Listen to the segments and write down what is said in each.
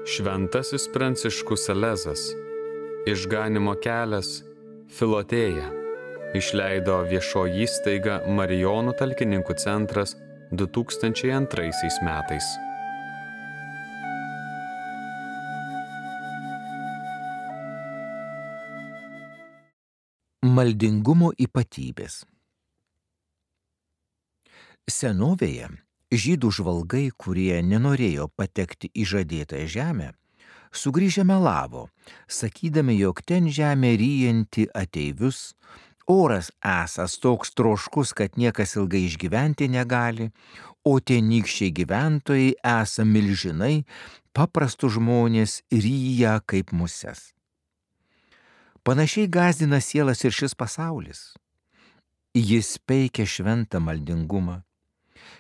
Šventasis Pranciškus Salezas, Išganymo kelias, Filotėja, išleido viešoji įstaiga Marijonų talkininkų centras 2002 metais. Maldingumo ypatybės. Senovėje žydų žvalgai, kurie nenorėjo patekti į žadėtąją žemę, sugrįžę melavo, sakydami, jog ten žemė ryjanti ateivius, oras esąs toks troškus, kad niekas ilgai išgyventi negali, o tenykščiai gyventojai esą milžinai, paprastus žmonės ryja kaip muses. Panašiai gąsdina sielas ir šis pasaulis. Jis peikia šventą maldingumą,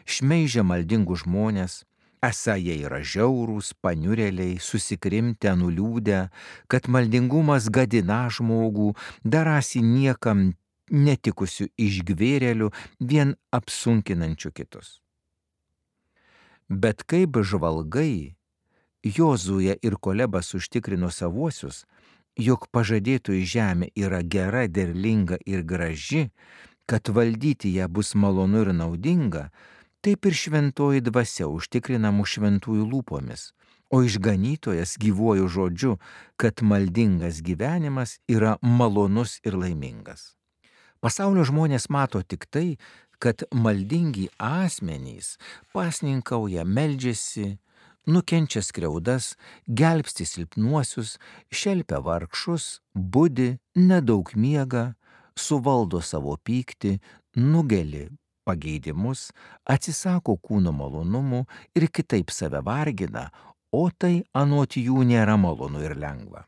šmeižia maldingus žmonės, esą jie yra žiaurūs, paniurėliai, susikrimtę, nuliūdę, kad maldingumas gadina žmogų, darasi niekam netikusių išgvėrėlių, vien apsunkinančių kitus. Bet kaip žvalgai, Jozuė ir Kolebas užtikrino savuosius, jog pažadėtoji žemė yra gera, derlinga ir graži, kad valdyti ją bus malonu ir naudinga, taip ir šventoji dvasia užtikrina mūsų šventųjų lūpomis, o išganytojas gyvuoju žodžiu, kad maldingas gyvenimas yra malonus ir laimingas. Pasaulio žmonės mato tik tai, kad maldingi asmenys pasninkauja, meldžiasi, nukenčia skriaudas, gelbsti silpnuosius, šelpia vargšus, budi, nedaug miega, suvaldo savo pyktį, nugeli pageidimus, atsisako kūno malonumų ir kitaip save vargina, o tai anot jų nėra malonu ir lengva.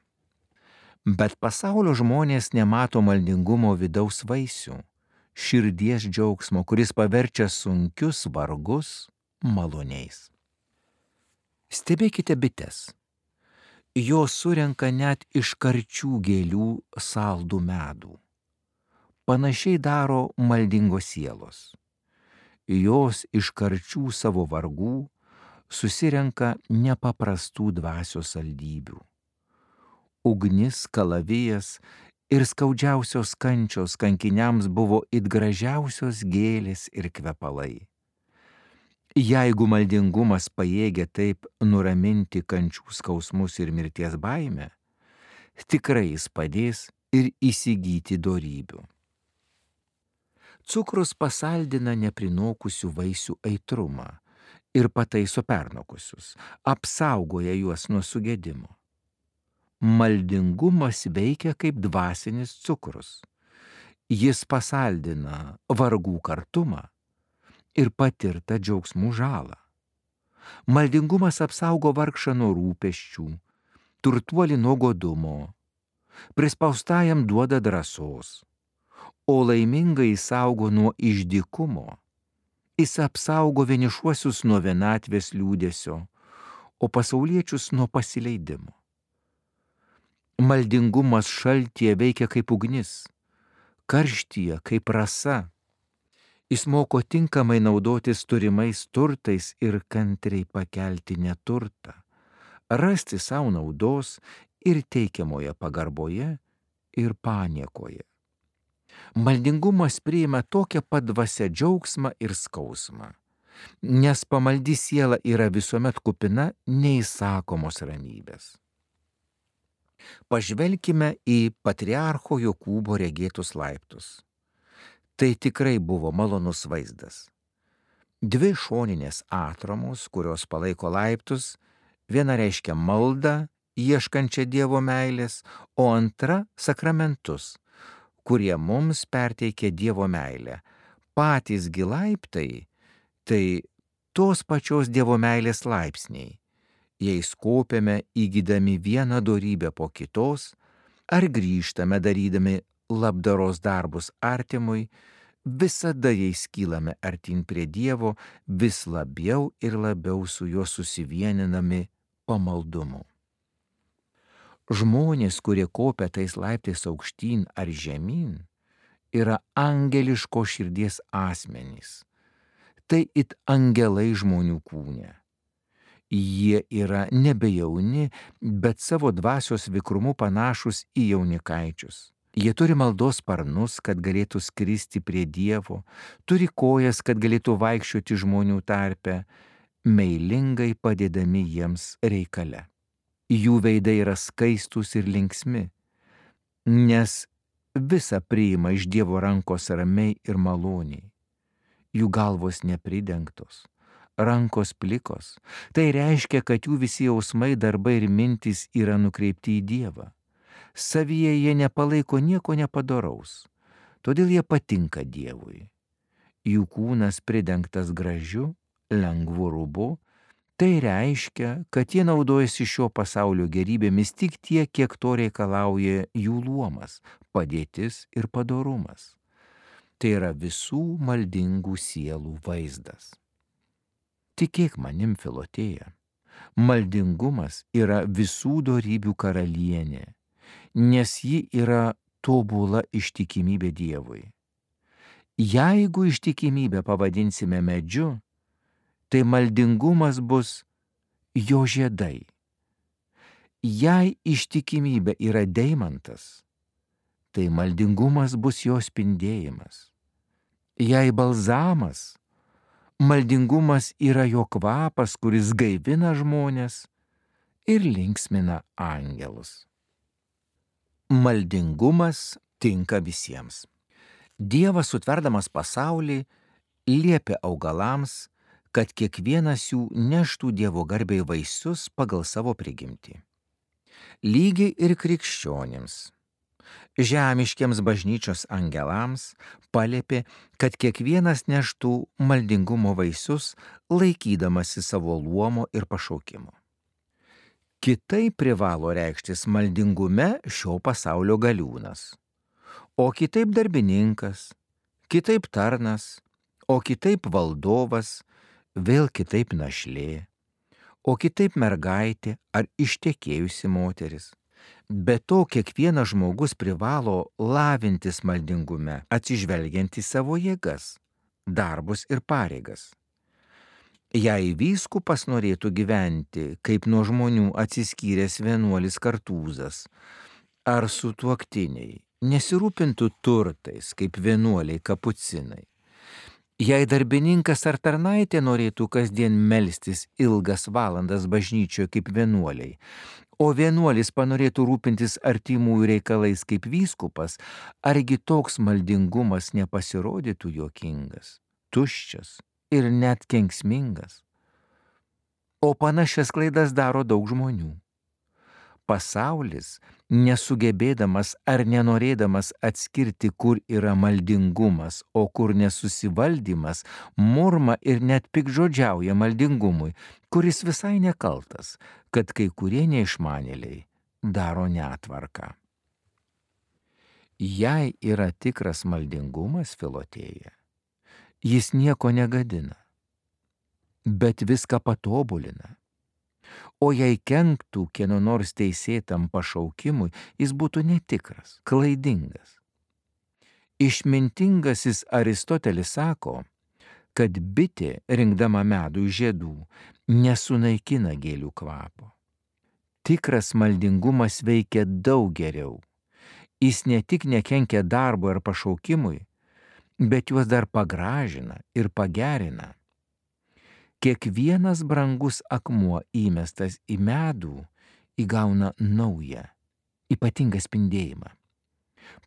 Bet pasaulio žmonės nemato maldingumo vidaus vaisių, širdies džiaugsmo, kuris paverčia sunkius vargus maloniais. Stebėkite bites. Jos surenka net iš karčių gėlių saldų medų. Panašiai daro maldingos sielos. Jos iš karčių savo vargų susirenka nepaprastų dvasios saldybių. Ugnis, kalavijas ir skaudžiausios kančios kankiniams buvo it gražiausios gėlės ir kvepalai. Jeigu maldingumas pajėgia taip nuraminti kančių skausmus ir mirties baimę, tikrai jis padės ir įsigyti dorybių. Cukrus pasaldina neprinokusių vaisių aitrumą ir pataiso pernokusius, apsaugoja juos nuo sugedimo. Maldingumas veikia kaip dvasinis cukrus. Jis pasaldina vargų kartumą ir patirtą džiaugsmų žalą. Maldingumas apsaugo vargšą nuo rūpesčių, turtuolį nuo godumo, prispaustajam duoda drąsos, o laimingai saugo nuo išdykumo. Jis apsaugo vienišuosius nuo vienatvės liūdesio, o pasauliečius nuo pasileidimo. Maldingumas šaltyje veikia kaip ugnis, karštyje kaip rasa. Jis moko tinkamai naudotis turimais turtais ir kantriai pakelti neturtą, rasti savo naudos ir teikiamoje pagarboje ir paniekoje. Maldingumas priima tokią pat dvasią džiaugsmą ir skausmą, nes pamaldi siela yra visuomet kupina neįsakomos ramybės. Pažvelkime į patriarcho Jokūbo regėtus laiptus. Tai tikrai buvo malonus vaizdas. Dvi šoninės atramos, kurios palaiko laiptus, viena reiškia maldą, ieškančią Dievo meilės, o antra sakramentus, kurie mums perteikia Dievo meilę. Patys gi laiptai, tai tos pačios Dievo meilės laipsniai. Jais kopiame įgydami vieną dorybę po kitos, ar grįžtame darydami labdaros darbus artimui, visada jais kylame artyn prie Dievo, vis labiau ir labiau su juo susivieninami pamaldumu. Žmonės, kurie kopia tais laiptais aukštyn ar žemyn, yra angeliško širdies asmenys. Tai it angelai žmonių kūne. Jie yra nebejauni, bet savo dvasios vikrumu panašus į jaunikaičius. Jie turi maldos sparnus, kad galėtų skristi prie Dievo, turi kojas, kad galėtų vaikščioti žmonių tarpe, meilingai padėdami jiems reikale. Jų veidai yra skaistus ir linksmi, nes visa priima iš Dievo rankos ramiai ir maloniai. Jų galvos nepridengtos, rankos plikos. Tai reiškia, kad jų visi jausmai, darbai ir mintys yra nukreipti į Dievą. Savyje jie nepalaiko nieko nepadoraus, todėl jie patinka Dievui. Jų kūnas pridengtas gražiu, lengvu rūbu, tai reiškia, kad jie naudojasi šio pasaulio gerybėmis tik tiek, kiek to reikalauja jų luomas, padėtis ir padorumas. Tai yra visų maldingų sielų vaizdas. Tikėk manim, Filotėja, maldingumas yra visų dorybių karalienė, nes ji yra tobula ištikimybė Dievui. Jeigu ištikimybę pavadinsime medžiu, tai maldingumas bus jo žiedai. Jei ištikimybė yra deimantas, tai maldingumas bus jo spindėjimas. Jei balzamas, maldingumas yra jo kvapas, kuris gaivina žmones ir linksmina angelus. Maldingumas tinka visiems. Dievas, sutverdamas pasaulį, liepė augalams, kad kiekvienas jų neštų Dievo garbei vaisius pagal savo prigimtį. Lygiai ir krikščionims, žemiškiams bažnyčios angelams paliepė, kad kiekvienas neštų maldingumo vaisius, laikydamasi savo luomo ir pašaukimo. Kitaip privalo reikštis maldingume šio pasaulio galiūnas, o kitaip darbininkas, kitaip tarnas, o kitaip valdovas, vėl kitaip našlė, o kitaip mergaitė ar ištekėjusi moteris. Be to, kiekvienas žmogus privalo lavintis maldingume, atsižvelgiant į savo jėgas, darbus ir pareigas. Jei vyskupas norėtų gyventi kaip nuo žmonių atsiskyręs vienuolis Kartūzas, ar sutuoktiniai nesirūpintų turtais kaip vienuoliai kapucinai, jei darbininkas ar tarnaitė norėtų kasdien melstis ilgas valandas bažnyčioje kaip vienuoliai, o vienuolis panorėtų rūpintis artimųjų reikalais kaip vyskupas, argi toks maldingumas nepasirodytų juokingas, tuščias ir net kenksmingas? O panašias klaidas daro daug žmonių. Pasaulis, nesugebėdamas ar nenorėdamas atskirti, kur yra maldingumas, o kur nesusivaldymas, murma ir net piktžodžiauja maldingumui, kuris visai nekaltas, kad kai kurie neišmanėliai daro netvarką. Jei yra tikras maldingumas, Filotėja, jis nieko negadina, bet viską patobulina. O jei kenktų kieno nors teisėtam pašaukimui, jis būtų netikras, klaidingas. Išmintingasis Aristotelis sako, kad bitė, rinkdama medų iš žiedų, nesunaikina gėlių kvapo. Tikras maldingumas veikia daug geriau. Jis ne tik nekenkia darbo ar pašaukimui, bet juos dar pagražina ir pagerina. Kiekvienas brangus akmuo įmestas į medų įgauna naują, ypatingą spindėjimą.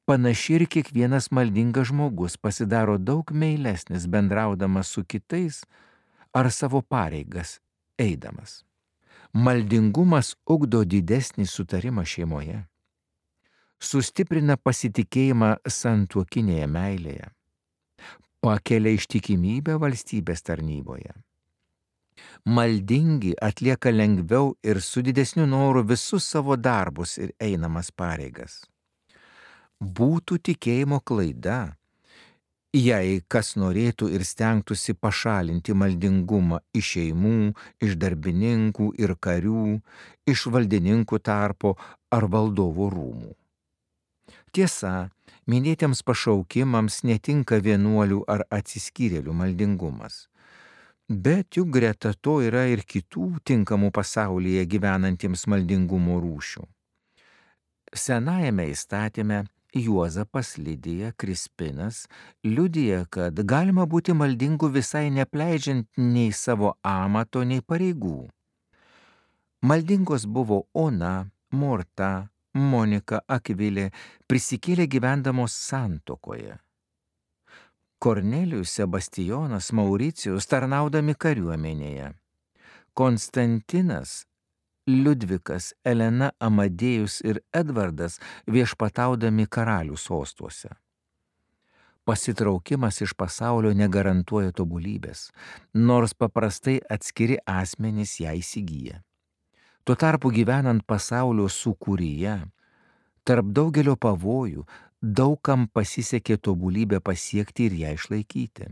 Panašiai ir kiekvienas maldingas žmogus pasidaro daug meilesnis bendraudamas su kitais ar savo pareigas eidamas. Maldingumas ugdo didesnį sutarimą šeimoje, sustiprina pasitikėjimą santuokinėje meilėje, pakelia ištikimybę valstybės tarnyboje. Maldingi atlieka lengviau ir su didesniu noru visus savo darbus ir einamas pareigas. Būtų tikėjimo klaida, jei kas norėtų ir stengtųsi pašalinti maldingumą iš šeimų, iš darbininkų ir karių, iš valdininkų tarpo ar valdovų rūmų. Tiesa, minėtiems pašaukimams netinka vienuolių ar atsiskyrėlių maldingumas. Bet juk greta to yra ir kitų tinkamų pasaulyje gyvenantiems maldingumo rūšių. Senajame įstatyme Juozapas, Lidija, Krispinas liudija, kad galima būti maldingu visai nepleidžiant nei savo amato, nei pareigų. Maldingos buvo Ona, Morta, Monika, Akvilė, prisikėlė gyvendamos santuokoje. Kornelijus, Sebastijonas, Mauricijus tarnaudami kariuomenėje. Konstantinas, Liudvikas, Elena, Amadėjus ir Edvardas viešpataudami karalių sostuose. Pasitraukimas iš pasaulio negarantuoja tobulybės, nors paprastai atskiri asmenys ją įsigyja. Tuo tarpu gyvenant pasaulio sūkuryje, tarp daugelio pavojų, daugam pasisekė tobulybę pasiekti ir ją išlaikyti.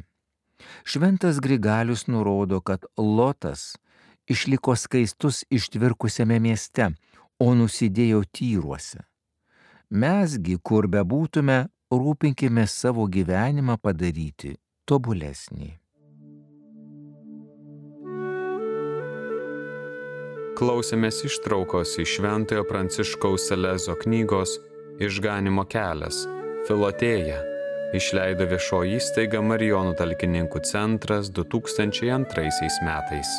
Šventas Grigalius nurodo, kad Lotas išliko skaistus ištvirkusiame mieste, o nusidėjo tyruose. Mesgi, kur bebūtume, rūpinkime savo gyvenimą padaryti tobulesnį. Klausėmės ištraukos iš Šventojo Pranciškaus Salezo knygos Išganimo kelias, Filotėja, išleido viešoji įstaiga Marijonų talkininkų centras 2002 metais.